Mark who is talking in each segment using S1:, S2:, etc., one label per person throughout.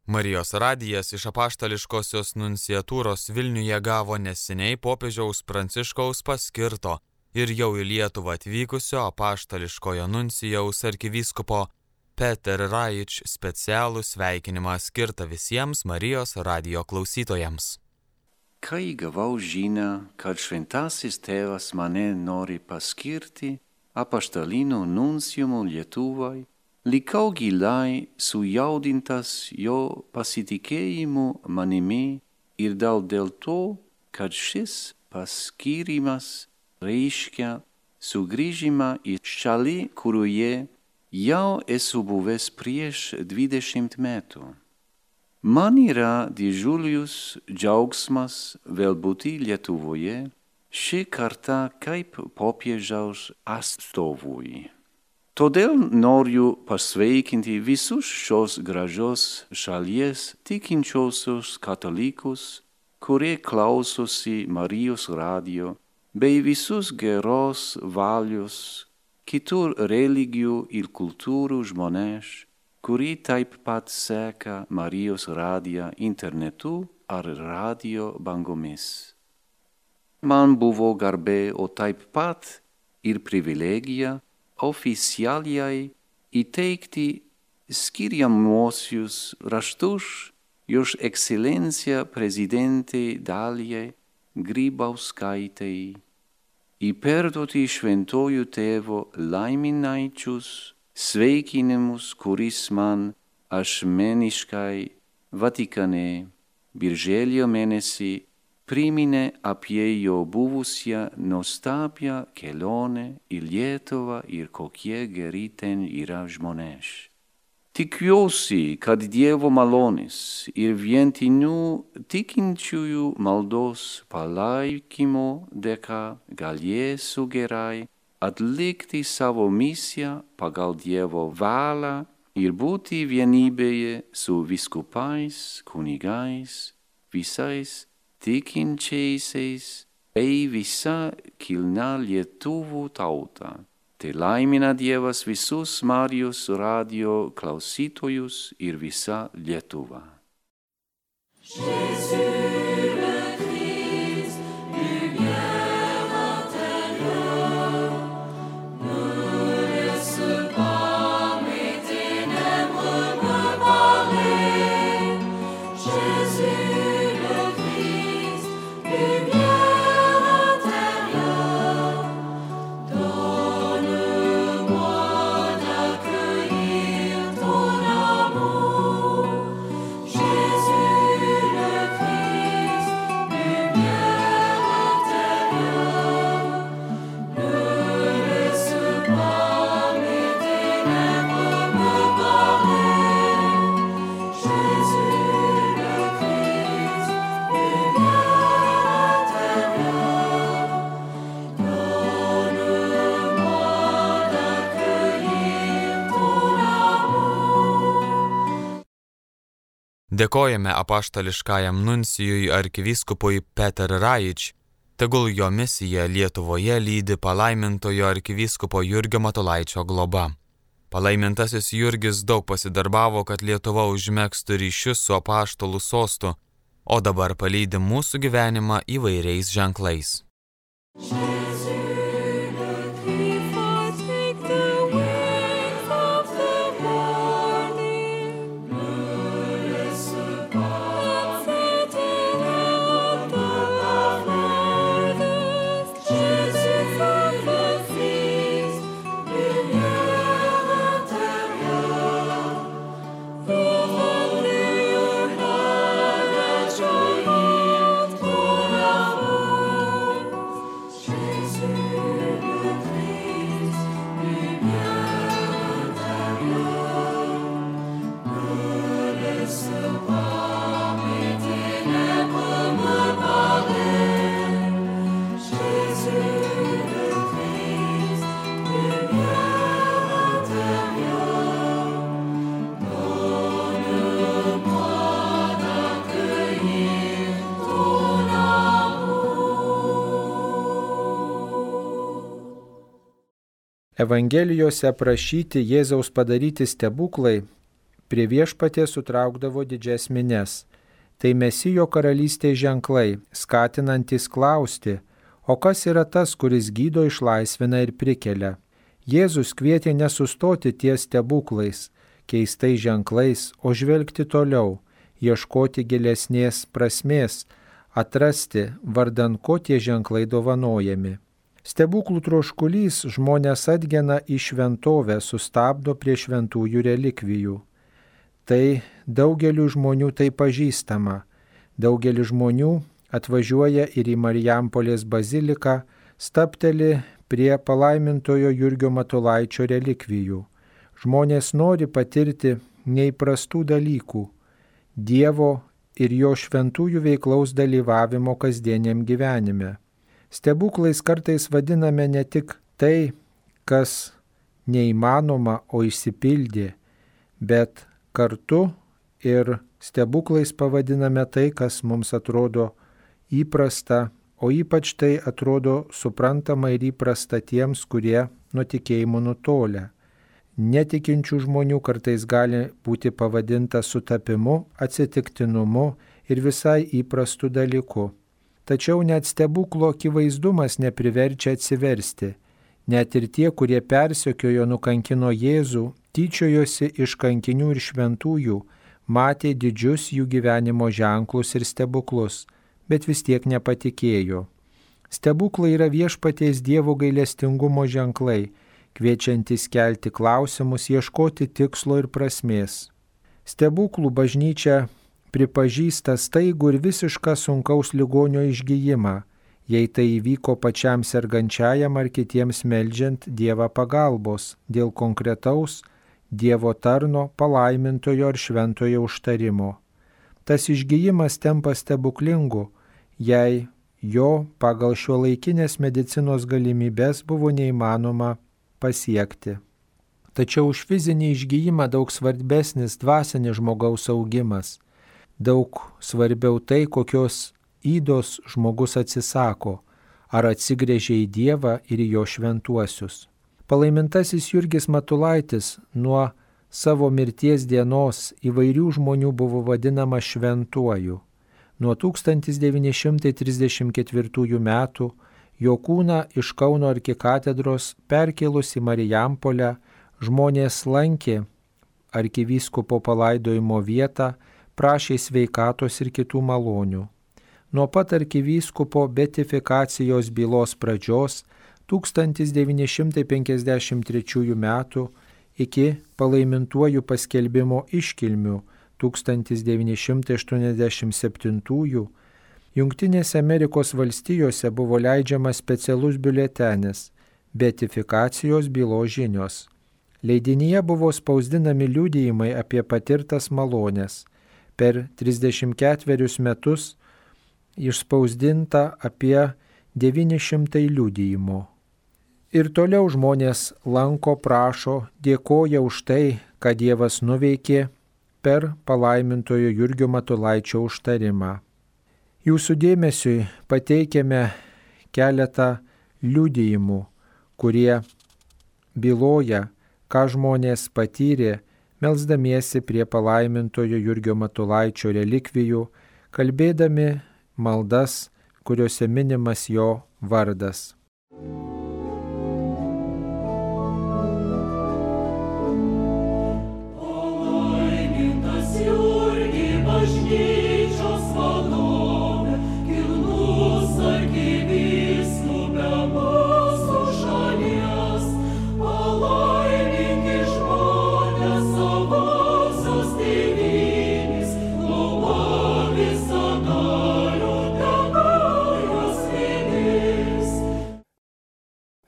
S1: Marijos radijas iš apaštališkosios nunciatūros Vilniuje gavo neseniai popiežiaus Pranciškaus paskirto ir jau į Lietuvą atvykusio apaštališkojo nuncijaus arkivyskupo Peter Raič specialų sveikinimą skirtą visiems Marijos radijo klausytojams.
S2: Kai gavau žinią, kad šventasis tėvas mane nori paskirti apaštaliniu nunciumu Lietuvai, likau giliai sujaudintas jo pasitikėjimu manimi ir dėl to, kad šis paskyrimas reiškia sugrįžimą į šalį, kurioje jau esu buvęs prieš 20 metų. Man yra didžiulis džiaugsmas vėl būti Lietuvoje, šį kartą kaip popiežiaus atstovui. Todėl noriu pasveikinti visus šios gražios šalies tikinčiosius katalikus, kurie klausosi Marijos radijo, bei visus geros valios kitų religijų ir kultūrų žmonės, kurie taip pat seka Marijos radiją internetu ar radio bangomis. Man buvo garbė, o taip pat ir privilegija oficialiai įteikti skiriamuosius raštus Jos ekscelencija prezidentei Dalijai Grybauskaitei, įperduoti šventojų tėvo laiminaičius sveikinimus, kuris man asmeniškai Vatikane birželio mėnesį priminė apie jo buvusią nuostabią kelionę į Lietuvą ir kokie geri ten yra žmonės. Tikiuosi, kad Dievo malonės ir vientinių tikinčiųjų maldos palaikymo dėka galėsiu gerai atlikti savo misiją pagal Dievo valią ir būti vienybėje su vyskupais, kunigais, visais tikinčiaisiais bei visa kilnia lietuvių tauta. Te laimina Dievas visus Marijos radijo klausytojus ir visą Lietuvą.
S1: Dėkojame apaštališkajam nuncijui arkivyskupui Peter Raič, tegul jo misija Lietuvoje lydi palaimintojo arkivyskupo Jurgio Matulaičio globa. Palaimintasis Jurgis daug pasidarbavo, kad Lietuva užmegztų ryšius su apaštalų sostu, o dabar palydi mūsų gyvenimą įvairiais ženklais.
S3: Evangelijose aprašyti Jėzaus padaryti stebuklai prie viešpaties sutraukdavo didžias mines. Tai Mesijo karalystės ženklai, skatinantys klausti, o kas yra tas, kuris gydo, išlaisvina ir prikelia. Jėzus kvietė nesustoti ties stebuklais, keistais ženklais, o žvelgti toliau, ieškoti gilesnės prasmės, atrasti, vardan ko tie ženklai dovanojami. Stebuklų troškulys žmonės atgena į šventovę, sustabdo prie šventųjų relikvijų. Tai daugeliu žmonių tai pažįstama. Daugelis žmonių atvažiuoja ir į Marijampolės baziliką, stabteli prie palaimintojo Jurgio Matulaičio relikvijų. Žmonės nori patirti neįprastų dalykų, Dievo ir jo šventųjų veiklaus dalyvavimo kasdieniam gyvenime. Stebuklais kartais vadiname ne tik tai, kas neįmanoma, o išsipildė, bet kartu ir stebuklais pavadiname tai, kas mums atrodo įprasta, o ypač tai atrodo suprantama ir įprasta tiems, kurie nuo tikėjimo nutolę. Netikinčių žmonių kartais gali būti pavadinta sutapimu, atsitiktinumu ir visai įprastu dalyku. Tačiau net stebuklo akivaizdumas nepriverčia atsiversti. Net ir tie, kurie persekiojo, nukankino Jėzų, tyčiojosi iš kankinių ir šventųjų, matė didžius jų gyvenimo ženklus ir stebuklus, bet vis tiek nepatikėjo. Stebuklai yra viešpaties Dievo gailestingumo ženklai, kviečiantis kelti klausimus, ieškoti tikslo ir prasmės. Stebuklų bažnyčia pripažįsta staigų ir visišką sunkaus ligonio išgijimą, jei tai įvyko pačiam sergančiajam ar kitiems meldžiant Dievą pagalbos dėl konkretaus Dievo tarno, palaimintojo ar šventojo užtarimo. Tas išgijimas tampa stebuklingu, jei jo pagal šiuolaikinės medicinos galimybės buvo neįmanoma pasiekti. Tačiau už fizinį išgijimą daug svarbesnis dvasinis žmogaus augimas. Daug svarbiau tai, kokios ydos žmogus atsisako, ar atsigręžia į Dievą ir į jo šventuosius. Palaimintasis Jurgis Matulaitis nuo savo mirties dienos įvairių žmonių buvo vadinamas šventuoju. Nuo 1934 metų jo kūną iš Kauno arkikatedros perkėlus į Marijampolę žmonės lankė arkivyskupo palaidojimo vietą, prašė sveikatos ir kitų malonių. Nuo pat arkivyskupo beatifikacijos bylos pradžios 1953 metų iki palaimintuojų paskelbimo iškilmių 1987 Jungtinėse Amerikos valstijose buvo leidžiamas specialus biuletenis beatifikacijos bylos žinios. Leidinyje buvo spausdinami liudijimai apie patirtas malones. Per 34 metus išspausdinta apie 900 liudijimų. Ir toliau žmonės lanko, prašo, dėkoja už tai, ką Dievas nuveikė per palaimintojo Jurgio Matulaičio užtarimą. Jūsų dėmesiui pateikiame keletą liudijimų, kurie byloja, ką žmonės patyrė, melsdamiesi prie palaimintojo Jurgio Matulaičio relikvijų, kalbėdami maldas, kuriuose minimas jo vardas.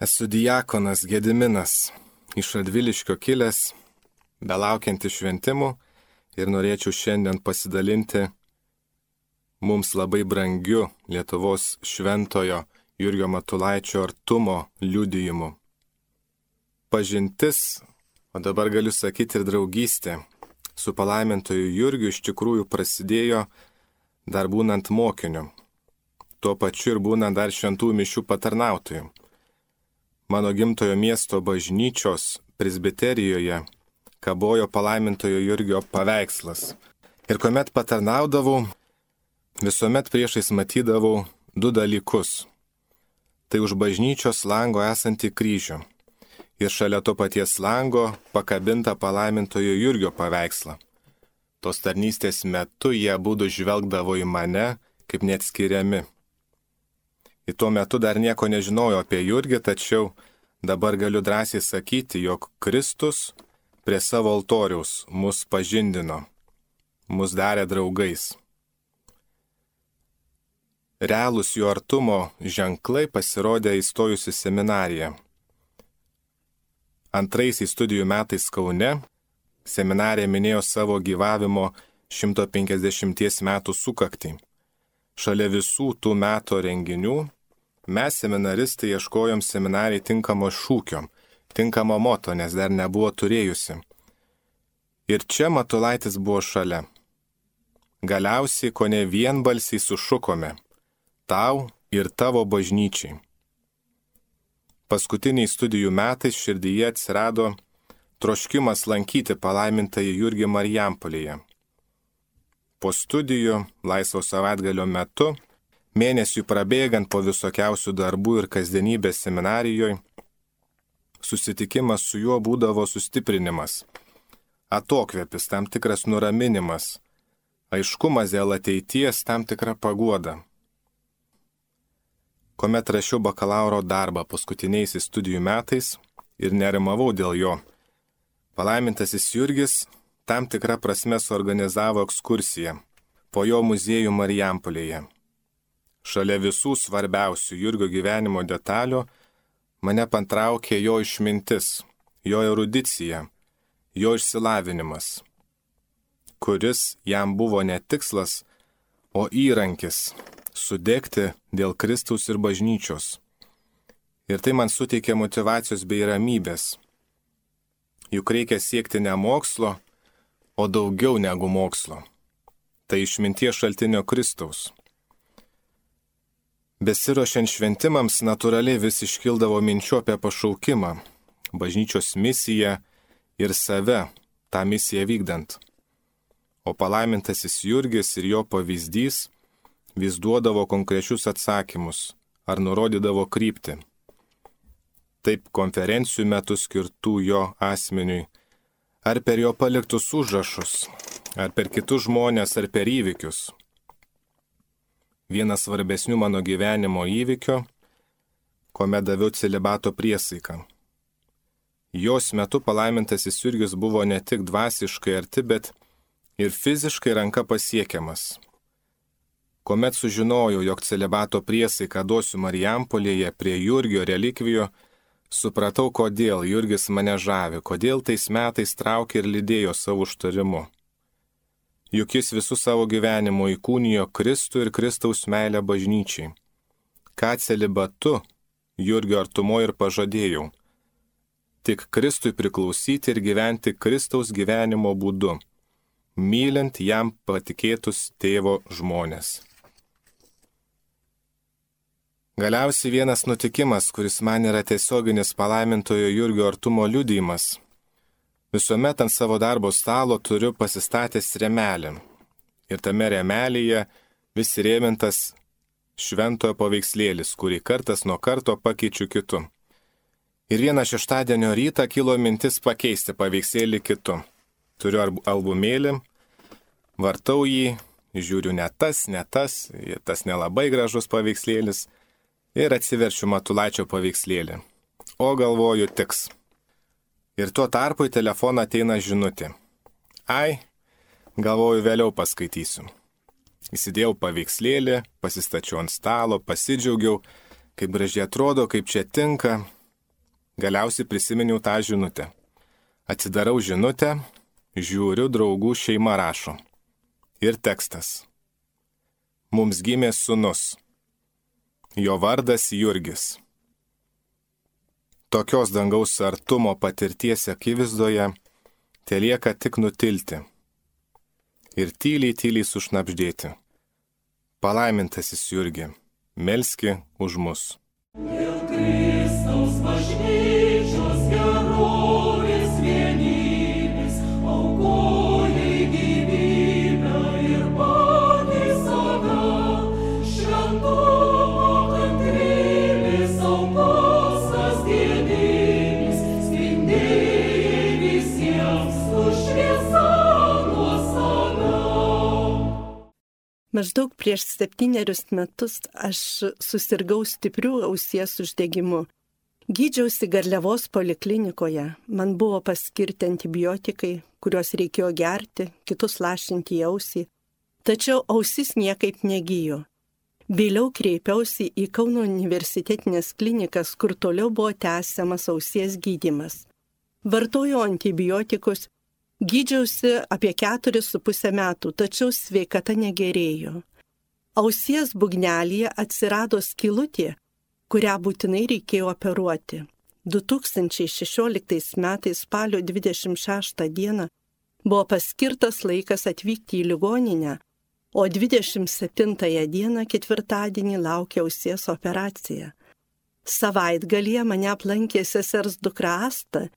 S4: Esu diakonas Gediminas, iš Radviliškio kilęs, belaukiantis šventimų ir norėčiau šiandien pasidalinti mums labai brangiu Lietuvos šventojo Jurgio Matulaičio artumo liudijimu. Pažintis, o dabar galiu sakyti ir draugystė, su palaimintoju Jurgiu iš tikrųjų prasidėjo dar būnant mokiniu, tuo pačiu ir būnant dar šventų mišių patarnautoju. Mano gimtojo miesto bažnyčios presbiterijoje kabojo palaimintojo Jurgio paveikslas. Ir kuomet patarnaudavau, visuomet priešais matydavau du dalykus. Tai už bažnyčios lango esantį kryžių. Ir šalia to paties lango pakabinta palaimintojo Jurgio paveikslą. Tos tarnystės metu jie abudu žvelgdavo į mane kaip neatskiriami. Ir tuo metu dar nieko nežinojau apie Jurgį, tačiau dabar galiu drąsiai sakyti, jog Kristus prie savo altoriaus mus pažindino, mus darė draugais. Realūs jo artumo ženklai pasirodė įstojus į seminariją. Antraisiais studijų metais Kaune seminarija minėjo savo gyvavimo 150 metų sukaktį. Šalia visų tų metų renginių mes seminaristai ieškojom seminarijai tinkamo šūkio, tinkamo moto, nes dar nebuvo turėjusi. Ir čia Matulaitis buvo šalia. Galiausiai kone vienbalsiai sušukome: tau ir tavo bažnyčiai. Paskutiniais studijų metais širdyje atsirado troškimas lankyti palaimintąjį Jurgį Marijampolėje. Po studijų, laisvo savaitgalio metu, mėnesiui prabėgant po visokiausių darbų ir kasdienybės seminarijoje, susitikimas su juo būdavo sustiprinimas, atokvėpis, tam tikras nuraminimas, aiškumas dėl ateities, tam tikra paguoda. Kuomet rašiau bakalauro darbą paskutiniaisiais studijų metais ir nerimavau dėl jo, palaimintasis Jurgis tam tikrą prasme suorganizavo ekskursiją po jo muziejų Marijampolėje. Šalia visų svarbiausių Jurgio gyvenimo detalių mane patraukė jo išmintis, jo erudicija, jo išsilavinimas, kuris jam buvo ne tikslas, o įrankis sudegti dėl Kristaus ir bažnyčios. Ir tai man suteikė motyvacijos bei ramybės. Juk reikia siekti ne mokslo, o daugiau negu mokslo. Tai išminties šaltinio Kristaus. Besiruošiant šventimams natūraliai vis iškildavo minčių apie pašaukimą, bažnyčios misiją ir save, tą misiją vykdant. O palaimintasis Jurgis ir jo pavyzdys vis duodavo konkrečius atsakymus ar nurodydavo kryptį. Taip konferencijų metu skirtų jo asmeniui, ar per jo paliktus užrašus, ar per kitus žmonės, ar per įvykius. Vienas svarbesnių mano gyvenimo įvykio, kuomet daviau celibato priesaiką. Jos metu palaimintasis Jurgis buvo ne tik dvasiškai arti, bet ir fiziškai ranka pasiekiamas. Kuomet sužinojau, jog celibato priesaiką duosiu Marijampolėje prie Jurgio relikvijo, supratau, kodėl Jurgis mane žavi, kodėl tais metais traukė ir lydėjo savo užtarimu. Juk jis visų savo gyvenimo įkūnijo Kristų ir Kristaus meilę bažnyčiai. Ką celibatu Jurgio artumo ir pažadėjau. Tik Kristui priklausyti ir gyventi Kristaus gyvenimo būdu, mylint jam patikėtus tėvo žmonės. Galiausiai vienas nutikimas, kuris man yra tiesioginis palaimintojo Jurgio artumo liudijimas. Visuomet ant savo darbo stalo turiu pasistatęs rėmelį. Ir tame rėmelyje vis rėmintas šventojo paveikslėlis, kurį kartas nuo karto pakeičiu kitu. Ir vieną šeštadienio rytą kilo mintis pakeisti paveikslėlį kitu. Turiu albumėlį, vartau jį, žiūriu ne tas nelabai gražus paveikslėlis ir atsiverčiu Matulaičio paveikslėlį. O galvoju, tiks. Ir tuo tarpu į telefoną ateina žinutė. Ai, galvoju, vėliau paskaitysiu. Įsidėjau paveikslėlį, pasistačiau ant stalo, pasidžiaugiau, kaip gražiai atrodo, kaip čia tinka. Galiausiai prisiminiau tą žinutę. Atsidarau žinutę, žiūriu, draugų šeima rašo. Ir tekstas. Mums gimė sūnus. Jo vardas Jurgis. Tokios dangaus artumo patirties akivaizdoje telieka tik nutilti ir tyliai sušnabždėti. Palaimintasis Jurgi, melski už mus. Dėl Kristaus bažnyčios gerovės vienybės
S5: Maždaug prieš 7 metus aš susirgau stipriu ausies uždegimu. Gydžiausi Garliavos poliklinikoje, man buvo paskirti antibiotikai, kuriuos reikėjo gerti, kitus lašinti į ausį, tačiau ausis niekaip negijo. Vėliau kreipiausi į Kauno universitetinės klinikas, kur toliau buvo tęsiamas ausies gydymas. Vartojau antibiotikus, gydžiausi apie 4,5 metų, tačiau sveikata negerėjo. Ausies būgnelėje atsirado skylutė, kurią būtinai reikėjo operuoti. 2016 metais spalio 26 dieną buvo paskirtas laikas atvykti į ligoninę, o 27 dieną ketvirtadienį laukia ausies operacija. Savaitgalyje mane aplankė sesers dukra Asta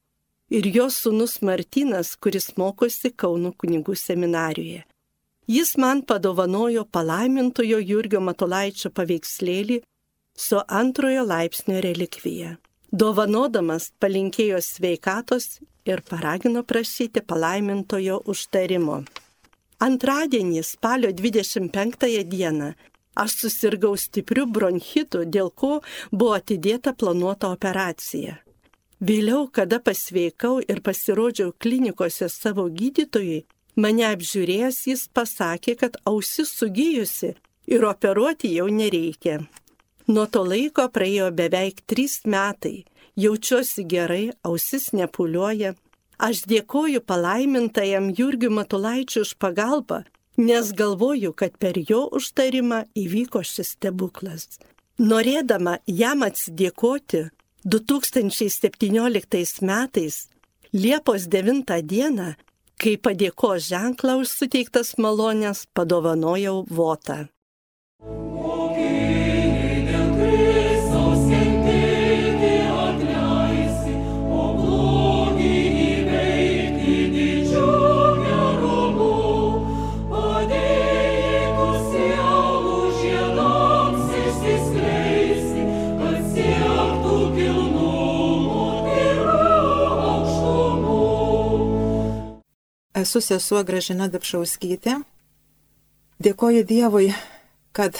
S5: ir jos sūnus Martynas, kuris mokosi Kauno kunigų seminarijoje. Jis man padovanojo palaimintojo Jurgio Matulaičio paveikslėlį su 2 laipsnio relikvija. Dovanodamas palinkėjo sveikatos ir paragino prašyti palaimintojo užtarimo. Antradienį, spalio 25 dieną, aš susirgau stipriu bronchitu, dėl ko buvo atidėta planuota operacija. Vėliau, kada pasveikau ir pasirodžiau klinikose savo gydytojui, mane apžiūrėjęs jis pasakė, kad ausis sugijusi ir operuoti jau nereikia. Nuo to laiko praėjo beveik 3 metai, jaučiuosi gerai, ausis nepūliuoja. Aš dėkoju palaimintajam Jurgiui Matulaičiui už pagalbą, nes galvoju, kad per jo užtarimą įvyko šis stebuklas. Norėdama jam atsidėkoti, 2017 metais, Liepos 9 dieną, kai padėkos ženklą už suteiktas malonės, padovanojau votą.
S6: Esu sesuo Gražina Dapšauskytė. Dėkoju Dievui, kad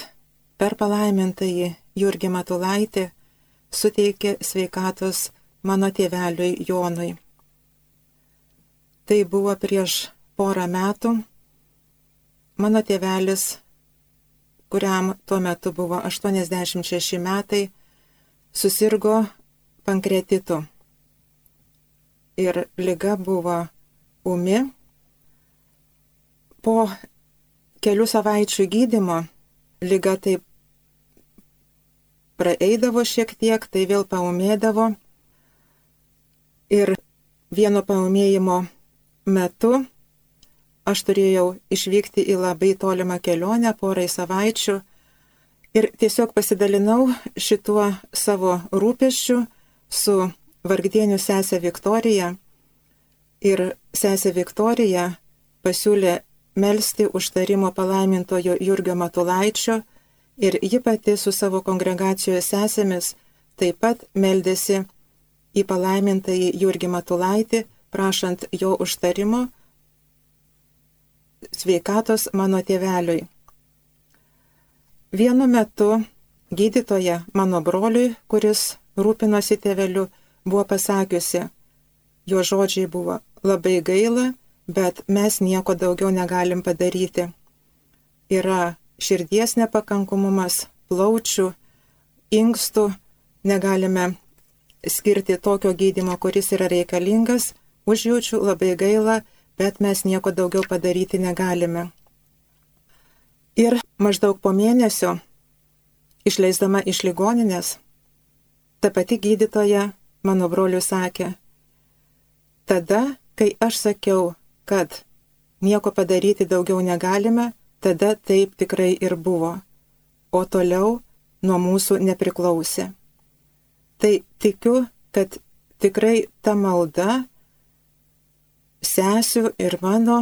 S6: per palaimintąjį Jurgį Matulaitį suteikė sveikatos mano tėveliui Jonui. Tai buvo prieš porą metų. Mano tėvelis, kuriam tuo metu buvo 86 metai, susirgo pankreatitu. Ir liga buvo ūmi. Po kelių savaičių gydymo liga taip praeidavo šiek tiek, tai vėl paūmėdavo. Ir vieno paūmėjimo metu aš turėjau išvykti į labai tolimą kelionę porai savaičių ir tiesiog pasidalinau šituo savo rūpesčiu su vargdienių sesė Viktorija. Ir sesė Viktorija pasiūlė melsti užtarimo palaimintojo Jurgio Matulaičio ir ji pati su savo kongregacijos sesėmis taip pat meldėsi į palaimintąjį Jurgį Matulaitį, prašant jo užtarimo sveikatos mano tėveliui. Vienu metu gydytoja mano broliui, kuris rūpinosi tėveliu, buvo pasakiusi, jo žodžiai buvo: labai gaila, bet mes nieko daugiau negalim padaryti. Yra širdies nepakankamumas, plaučių, inkstų, negalime skirti tokio gydymo, kuris yra reikalingas, užjaučiu, labai gaila, bet mes nieko daugiau padaryti negalime. Ir maždaug po mėnesio, išleisdama iš ligoninės, ta pati gydytoja mano broliui sakė: tada, kai aš sakiau, kad nieko padaryti daugiau negalime, tada taip tikrai ir buvo, o toliau nuo mūsų nepriklausė. Tai tikiu, kad tikrai ta malda, sesių ir mano,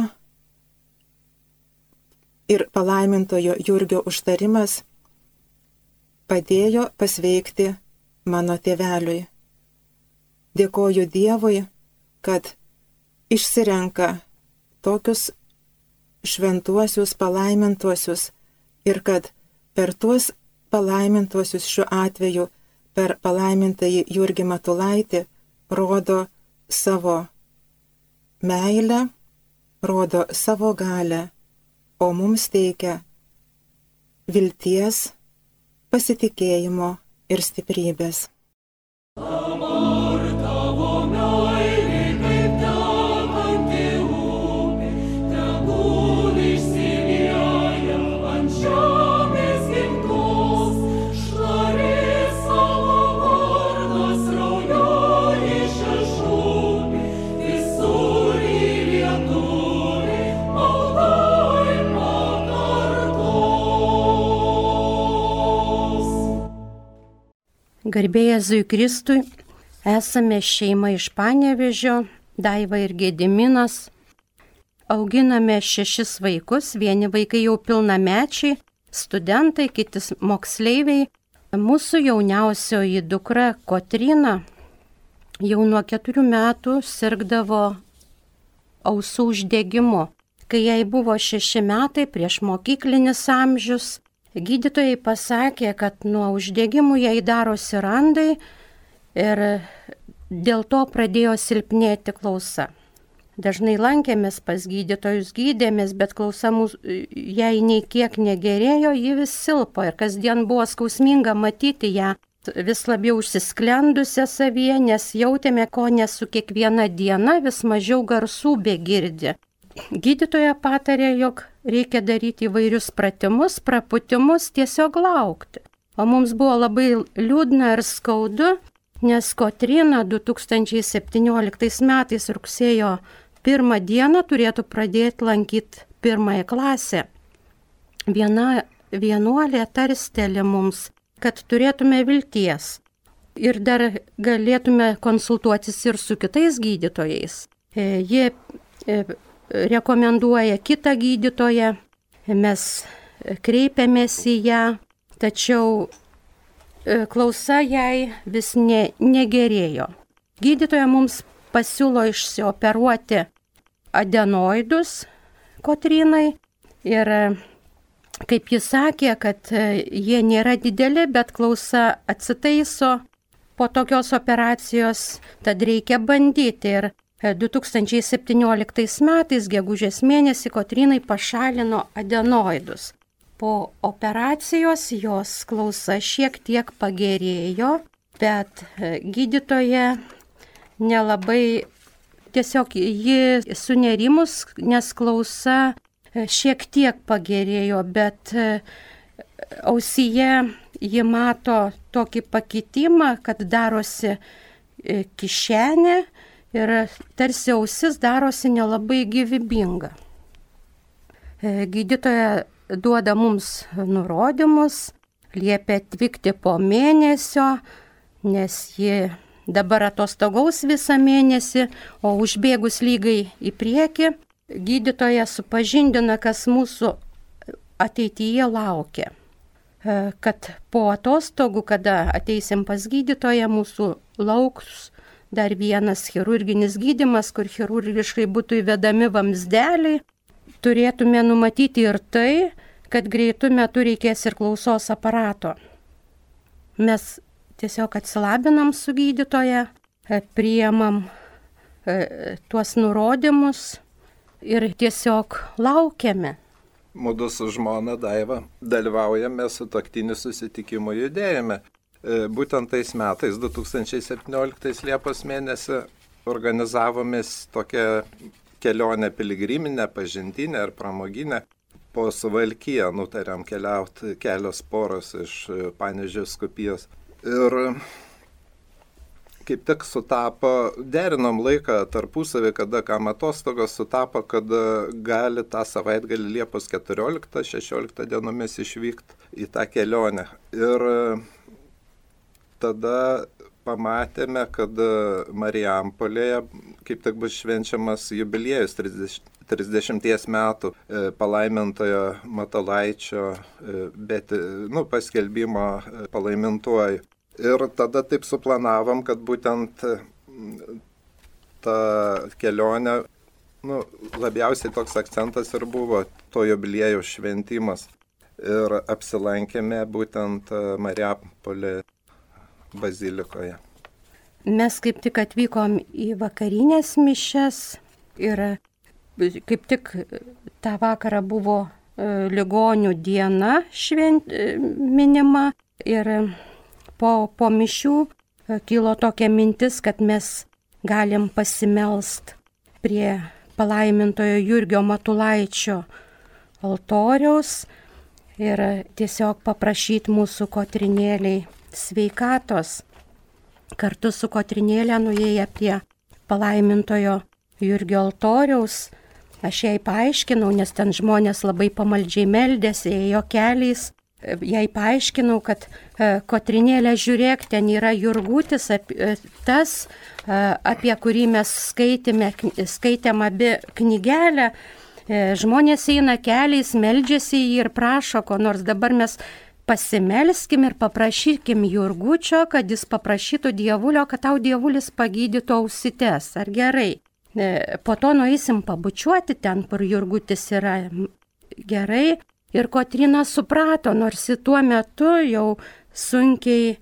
S6: ir palaimintojo Jurgio užtarimas padėjo pasveikti mano tėveliui. Dėkoju Dievui, kad išsirenka tokius šventuosius palaimintuosius, ir kad per tuos palaimintuosius šiuo atveju, per palaimintąjį Jurgį Matulaitį, rodo savo meilę, rodo savo galę, o mums teikia vilties, pasitikėjimo ir stiprybės.
S7: Garbė Jėzui Kristui, esame šeima iš Panevėžio, Daiva ir Gediminas. Auginame 6 vaikus, vieni vaikai jau pilnamečiai, studentai, kiti moksleiviai. Mūsų jauniausioji dukra Kotryna jau nuo 4 metų sirgdavo ausų uždegimu. Kai jai buvo 6 metai, prieš mokyklinis amžius, gydytojai pasakė, kad nuo uždegimų jai darosi randai ir dėl to pradėjo silpnėti klausa. Dažnai lankėmės pas gydytojus, gydėmės, bet klausa jai nei kiek negerėjo, ji vis silpo ir kasdien buvo skausminga matyti ją vis labiau užsisklendusią savyje, nes jautėme, ko su kiekviena diena vis mažiau garsų begirdi. Gydytoja patarė, jog reikia daryti įvairius pratimus, praputimus, tiesiog laukti. O mums buvo labai liūdna ir skaudu, nes Kotryna 2017 metais rugsėjo 1 dieną turėtų pradėti lankyti 1 klasę. Viena vienuolė tarsteli mums, kad turėtume vilties ir dar galėtume konsultuotis ir su kitais gydytojais. Jie rekomenduoja kitą gydytoją, mes kreipiamės į ją, tačiau klausa jai vis negerėjo. Gydytoja mums pasiūlo išsioperuoti adenoidus Kotrynai ir kaip jis sakė, kad jie nėra dideli, bet klausa atsitaiso po tokios operacijos, tad reikia bandyti. Ir 2017 metais, gegužės mėnesį, Kotrynai pašalino adenoidus. Po operacijos jos klausa šiek tiek pagerėjo, bet gydytoja nelabai, tiesiog ji sunerimus, nes klausa šiek tiek pagerėjo, bet ausyje ji mato tokį pakitimą, kad darosi kišenė ir tarsi ausis darosi nelabai gyvybinga. Gydytoja duoda mums nurodymus, liepia atvykti po mėnesio, nes ji dabar atostogaus visą mėnesį, o užbėgus lygai į priekį, gydytoja supažindina, kas mūsų ateityje laukia. Kad po atostogų, kada ateisim pas gydytoją, mūsų lauks dar vienas chirurginis gydymas, kur chirurgiškai būtų įvedami vamzdeliai. Turėtume numatyti ir tai, kad greitų metų reikės ir klausos aparato. Mes tiesiog atsilabinam su gydytoja, priimam tuos nurodymus ir tiesiog laukiame.
S8: Mudu su žmona Daiva dalyvaujame sutuoktinių susitikimų judėjime. Būtent tais metais, 2017 Liepos mėnesį, organizavomės tokią kelionę piligriminę, pažintinę ir pramoginę. Po Suvalkiją nutarėm keliauti kelios poros iš Panevėžio vyskupijos. Ir kaip tik sutapo, derinom laiką tarpusavį, kada kam atostogos sutapo, kad gali tą savaitgalį Liepos 14-16 dienomis išvykti į tą kelionę. Ir tada pamatėme, kad Marijampolėje kaip tik bus švenčiamas jubiliejus 30 metų palaimintojo Matulaičio, paskelbimo palaimintuoju. Ir tada taip suplanavom, kad būtent ta kelionė, labiausiai toks akcentas ir buvo to jubiliejaus šventimas. ir apsilankėme būtent Marijampolės bazilikoje.
S7: Mes kaip tik atvykom į vakarinės mišias ir kaip tik tą vakarą buvo ligonių diena minima ir po mišių kilo tokia mintis, kad mes galim pasimelst prie palaimintojo Jurgio Matulaičio altoriaus ir tiesiog paprašyti mūsų Kotrinėlei sveikatos. Kartu su Kotrinėle nuėję prie palaimintojo Jurgio altoriaus, aš jai paaiškinau, nes ten žmonės labai pamaldžiai meldėsi, ėjo keliais. Jai paaiškinau, kad Kotrinėlė, žiūrėk, ten yra Jurgutis, tas, apie kurį mes skaitėm abi knygelę. Žmonės eina keliais, meldžiasi jį ir prašo, ko nors dabar mes pasimelskim ir paprašykim Jurgučio, kad jis paprašytų dievulio, kad tau dievulis pagydytų ausites. Ar gerai? Po to nueisim pabučiuoti ten, kur Jurgutis yra. Gerai. Ir Kotryna suprato, nors tuo metu jau sunkiai,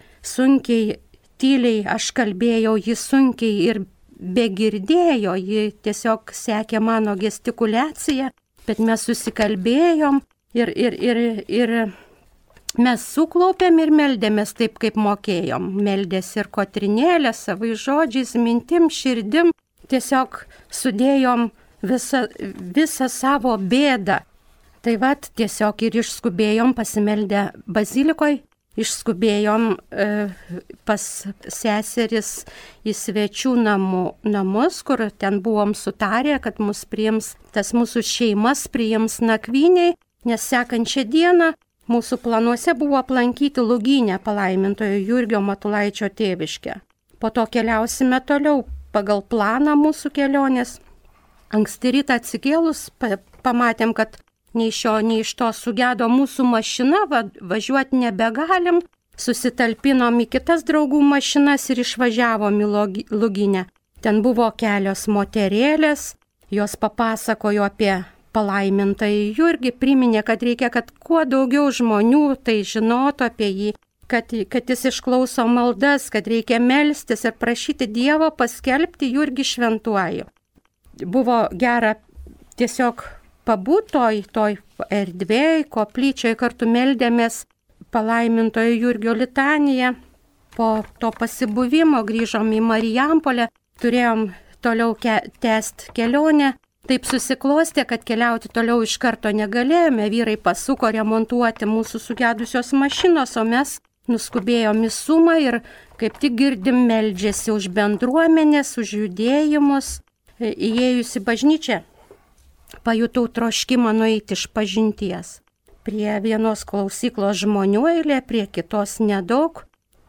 S7: tyliai aš kalbėjau, ji sunkiai ir begirdėjo, ji tiesiog sekė mano gestikuliaciją, bet mes susikalbėjom ir mes suklaupėm ir meldėmės taip, kaip mokėjom. Meldėsi ir Kotrinėlė savai žodžiais, mintim, širdim, tiesiog sudėjom visą savo bėdą. Tai vat tiesiog ir išskubėjom pasimeldę bazilikoje, išskubėjom pas seseris į svečių namus, kur ten buvom sutarę, kad mus priims, tas mūsų šeimas priims nakvyniai, nes sekančią dieną mūsų planuose buvo aplankyti Lugynę palaimintojo Jurgio Matulaičio tėviškę. Po to keliausime toliau pagal planą mūsų kelionės. Anksti rytą atsikėlus pamatėm, kad nei iš to sugedo mūsų mašina, važiuoti nebegalim, susitalpinom į kitas draugų mašinas ir išvažiavom į Lugynę. Ten buvo kelios moterėlės, jos papasakojo apie palaimintąjį Jurgį, priminė, kad reikia, kad kuo daugiau žmonių tai žinotų apie jį, kad jis išklauso maldas, kad reikia melstis ir prašyti Dievo paskelbti Jurgį šventuoju. Buvo gera tiesiog pabūti toj erdvėj, koplyčioj, kartu meldėmės palaimintojo Jurgio litaniją. Po to pasibuvimo grįžom į Marijampolę, turėjom toliau tęsti kelionę. Taip susiklostė, kad keliauti toliau iš karto negalėjome, vyrai pasuko remontuoti mūsų sugedusios mašinos, o mes nuskubėjom į Sumą ir kaip tik girdim meldžiasi už bendruomenės, už judėjimus. Įėjus į bažnyčią, pajutau troškimą nueiti iš pažinties. Prie vienos klausyklos žmonių eilė, prie kitos nedaug.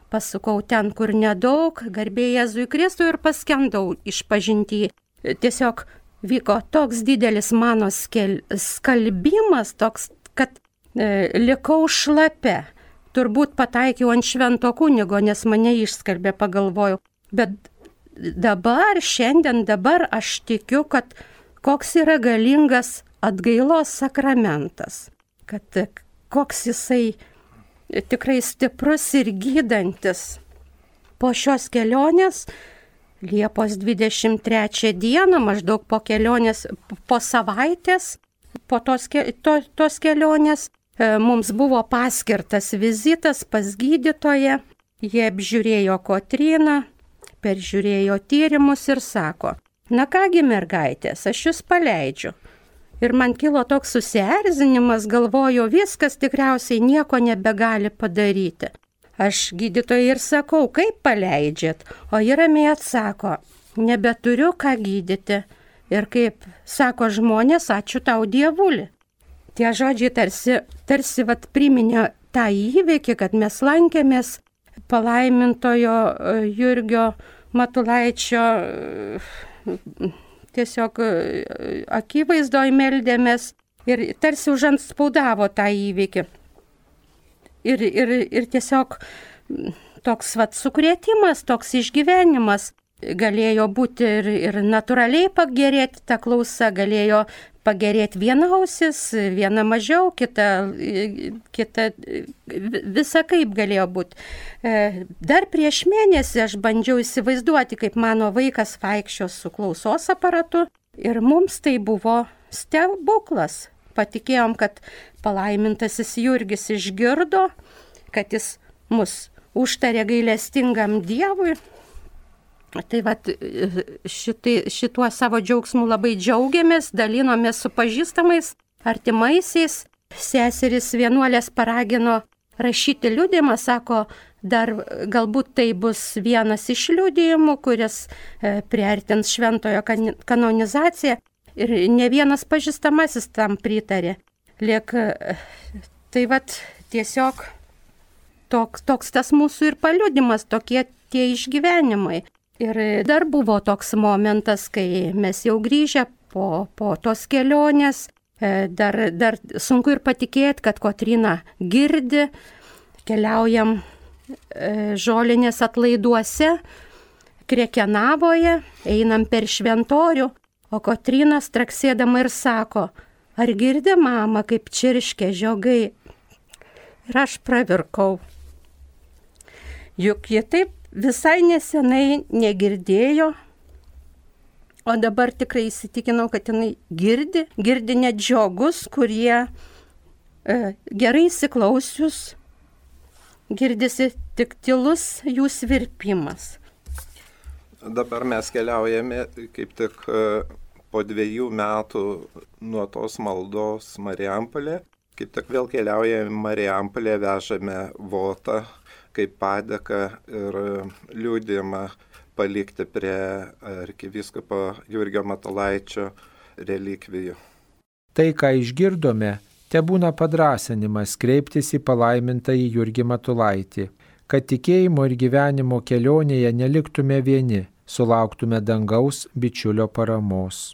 S7: Pasukau ten, kur nedaug, garbė Jėzui Kristui ir paskendau iš pažinty. Tiesiog vyko toks didelis mano skalbimas, toks, kad likau šlape. Turbūt pataikiau ant švento kunigo, nes mane išskalbė, pagalvojau. Bet šiandien aš tikiu, kad koks yra galingas atgailos sakramentas, kad koks jisai tikrai stiprus ir gydantis. Po šios kelionės, Liepos 23 dieną, maždaug po kelionės, po savaitės, po tos kelionės, mums buvo paskirtas vizitas pas gydytoją. Jie apžiūrėjo Kotryną, peržiūrėjo tyrimus ir sako, na kągi mergaitės, aš jūs paleidžiu. Ir man kilo toks susierzinimas, galvoju, viskas tikriausiai nieko nebegali padaryti. Aš gydytojai ir sakau, kaip paleidžiat, o ji ramiai atsako, nebeturiu ką gydyti. Ir kaip sako žmonės, ačiū tau dievuli. Tie žodžiai tarsi priminė tą įvykį, kad mes lankėmės palaimintojo Jurgio Matulaičio tiesiog akivaizdoj meldėmės ir tarsi užantspaudavo tą įvykį. Ir tiesiog toks sukrėtimas, toks išgyvenimas galėjo būti ir natūraliai pagerėti ta klausa, galėjo pagerėti viena ausis, viena mažiau, kita visa kaip galėjo būti. Dar prieš mėnesį aš bandžiau įsivaizduoti, kaip mano vaikas vaikščios su klausos aparatu ir mums tai buvo stebuklas. Patikėjom, kad palaimintasis Jurgis išgirdo, kad jis mus užtarė gailestingam Dievui. Tai vat, šituo savo džiaugsmu labai džiaugiamės, dalinomės su pažįstamais, artimaisiais. Seseris vienuolės paragino rašyti liudijimą, sako, dar galbūt tai bus vienas iš liudijimų, kuris priartins šventojo kanonizaciją. Ir ne vienas pažįstamasis tam pritarė. Tai vat tiesiog toks tas mūsų ir paliudimas, tokie tie išgyvenimai. Ir dar buvo toks momentas, kai mes jau grįžę po tos kelionės, dar sunku ir patikėti, kad Kotryna girdi, keliaujam Žolinės atlaiduose, Krekenavoje, einam per šventorių, o Kotryna straksėdama ir sako, ar girdi mama, kaip čirškia žiogai? Ir aš pravirkau. Juk jie taip visai nesenai negirdėjo, o dabar tikrai įsitikinau, kad jinai girdi net žiogus, kurie gerai įsiklausius, girdisi tik tylus jų svirpimas.
S8: Dabar mes keliaujame kaip tik po 2 metų nuo tos maldos Marijampolė. Kaip tik vėl keliaujame Marijampolė, vežame votą kaip padėką ir liudijimą palikti prie arkivyskupo Jurgio Matulaičio relikvijų.
S3: Tai, ką išgirdome, tebūna padrąsinimas kreiptis į palaimintąjį Jurgį Matulaitį, kad tikėjimo ir gyvenimo kelionėje neliktume vieni, sulauktume dangaus bičiulio paramos.